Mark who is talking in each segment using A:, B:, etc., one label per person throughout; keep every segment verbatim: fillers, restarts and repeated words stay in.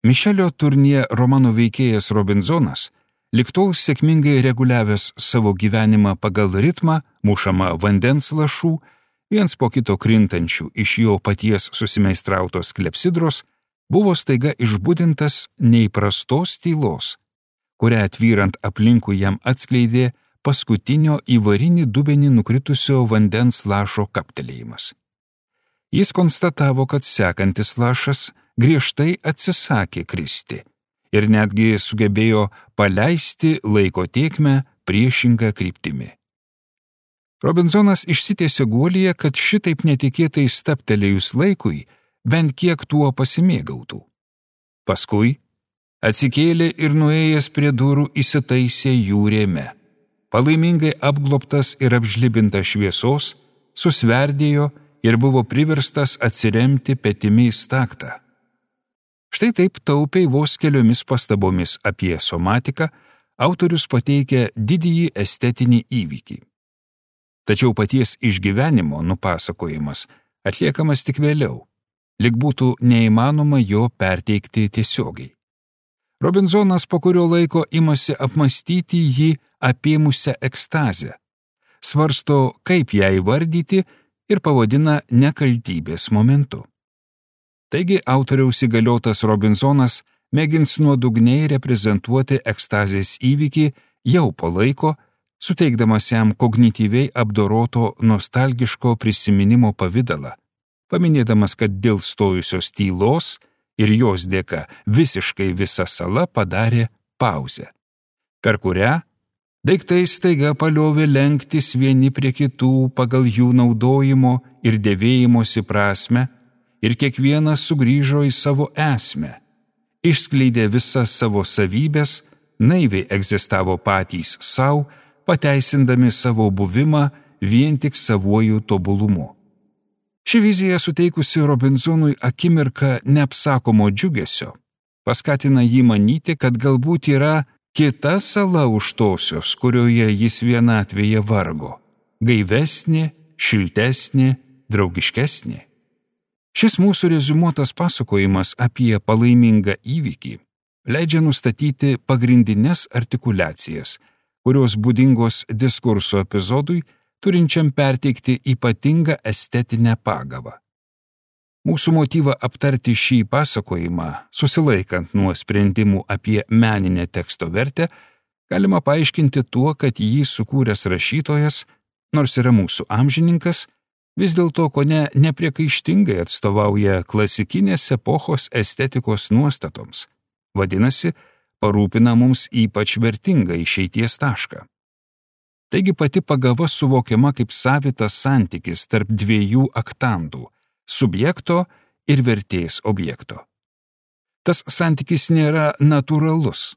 A: Mišelio Turnie romano veikėjas Robinzonas, ligtol sėkmingai reguliavęs savo gyvenimą pagal ritmą, mušama vandens lašų, viens po kito krintančių iš jo paties susimeistrautos klepsidros, buvo staiga išbudintas neįprastos tylos, kurią atvyrant aplinkui jam atskleidė paskutinio į varinį dubenį nukritusio vandens lašo kaptelėjimas. Jis konstatavo, kad sekantis lašas griežtai atsisakė kristi ir netgi sugebėjo paleisti laiko tėkmę priešingą kryptimi. Robinzonas išsitiesė guolyje, kad šitaip netikėtai stabtelėjus laikui bent kiek tuo pasimėgautų. Paskui atsikėlė ir nuėjęs prie durų įsitaisė jų rėme. Palaimingai apglobtas ir apžlibintas šviesos, susverdėjo ir buvo priverstas atsiremti petimi į staktą. Štai taip taupiai vos keliomis pastabomis apie somatiką autorius pateikia didįjį estetinį įvykį. Tačiau paties išgyvenimo nupasakojimas atliekamas tik vėliau, lyg būtų neįmanoma jo perteikti tiesiogiai. Robinzonas po kurio laiko imasi apmąstyti jį apėmusią ekstazę, svarsto, kaip ją įvardyti ir pavadina nekaltybės momentu. Taigi autoriaus įgaliotas Robinzonas mėgins nuodugniai reprezentuoti ekstazės įvykį jau po laiko, suteikdamas jam kognityviai apdoroto nostalgiško prisiminimo pavidalą, paminėdamas, kad dėl stojusios tylos ir jos dėka visiškai visa sala padarė pauzę, per kurią daiktai staiga paliovė lenktis vieni prie kitų pagal jų naudojimo ir dėvėjimosi prasmę ir kiekvienas sugrįžo į savo esmę, išskleidė visas savo savybės, naiviai egzistavo patys sau, pateisindami savo buvimą vien tik savuoju tobulumu. Ši vizija suteikusi Robinsonui akimirką neapsakomo džiugesio, paskatina jį manyti, kad galbūt yra kita sala už tosios, kurioje jis vienatvėje vargo, gaivesnė, šiltesnė, draugiškesnė. Šis mūsų reziumuotas pasakojimas apie palaimingą įvykį leidžia nustatyti pagrindines artikuliacijas, kurios būdingos diskurso epizodui, turinčiam perteikti ypatingą estetinę pagavą. Mūsų motyvą aptarti šį pasakojimą, susilaikant nuo sprendimų apie meninę teksto vertę, galima paaiškinti tuo, kad jį sukūręs rašytojas, nors yra mūsų amžininkas, vis dėlto kone nepriekaištingai atstovauja klasikinės epochos estetikos nuostatoms, vadinasi, parūpina mums ypač vertingą išeities tašką. Taigi pati pagava suvokiama kaip savitas santykis tarp dviejų aktandų – subjekto ir vertės objekto. Tas santykis nėra natūralus.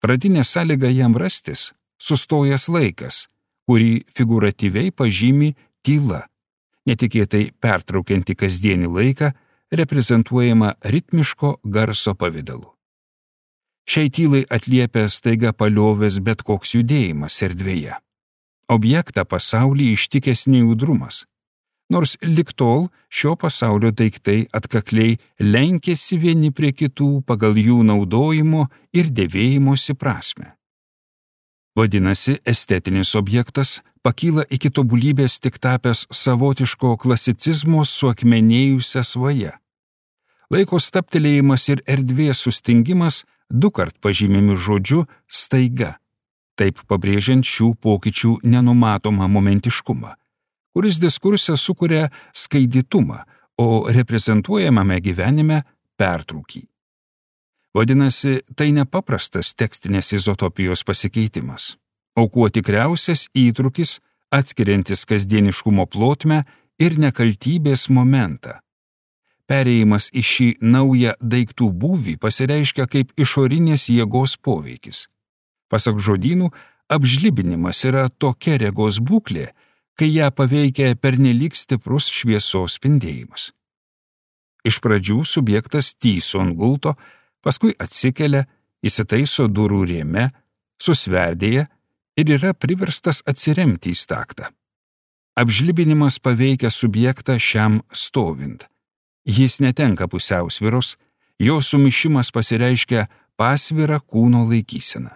A: Pradinė sąlyga jam rastis – sustojęs laikas, kurį figūratyviai pažymi tyla, netikėtai pertraukianti kasdienį laiką, reprezentuojama ritmiško garso pavidalu. Šiai tylai atliepia staiga paliovęs bet koks judėjimas erdvėje. Objektą pasaulį ištikęs nejaudrumas, nors lig tol šio pasaulio daiktai atkakliai lenkėsi vieni prie kitų pagal jų naudojimo ir dėvėjimosi prasmę. Vadinasi, estetinis objektas pakyla iki tobulybės tik tapęs savotiško klasicizmo suakmenėjusią svają. Laiko stabtelėjimas ir erdvės sustingimas dukart pažymimi žodžiu staiga, taip pabrėžiant šių pokyčių nenumatomą momentiškumą, kuris diskurse sukuria skaidytumą, o reprezentuojamame gyvenime pertrūkį. Vadinasi, tai nepaprastas tekstinės izotopijos pasikeitimas, o kuo tikriausias įtrūkis atskiriantis kasdieniškumo plotmę ir nekaltybės momentą. Perėjimas į šį naują daiktų būvį pasireiškia kaip išorinės jėgos poveikis. Pasak žodynų, apžlibinimas yra tokia regos būklė, kai ją paveikia pernelyg stiprus šviesos spindėjimas. Iš pradžių subjektas tyso ant gulto, paskui atsikelia, įsitaiso durų rėme, susverdėja ir yra priverstas atsiremti į staktą. Apžlibinimas paveikia subjektą šiam stovint. Jis netenka pusiausvyros, Jo sumišimas pasireiškia pasvirą kūno laikyseną.